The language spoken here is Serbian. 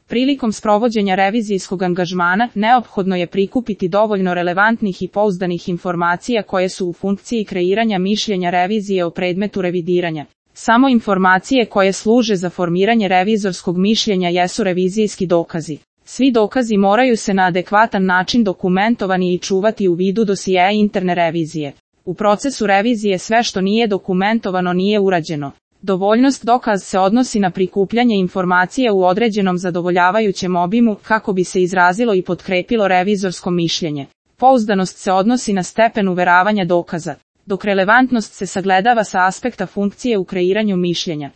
Prilikom sprovođenja revizijskog angažmana, neophodno je prikupiti dovoljno relevantnih i pouzdanih informacija koje su u funkciji kreiranja mišljenja revizije o predmetu revidiranja. Samo informacije koje služe za formiranje revizorskog mišljenja jesu revizijski dokazi. Svi dokazi moraju se na adekvatan način dokumentovani i čuvati u vidu dosijea interne revizije. U procesu revizije sve što nije dokumentovano nije urađeno. Dovoljnost dokaz se odnosi na prikupljanje informacije u određenom zadovoljavajućem obimu kako bi se izrazilo i potkrepilo revizorsko mišljenje. Pouzdanost se odnosi na stepen uveravanja dokaza, dok relevantnost se sagledava sa aspekta funkcije u kreiranju mišljenja.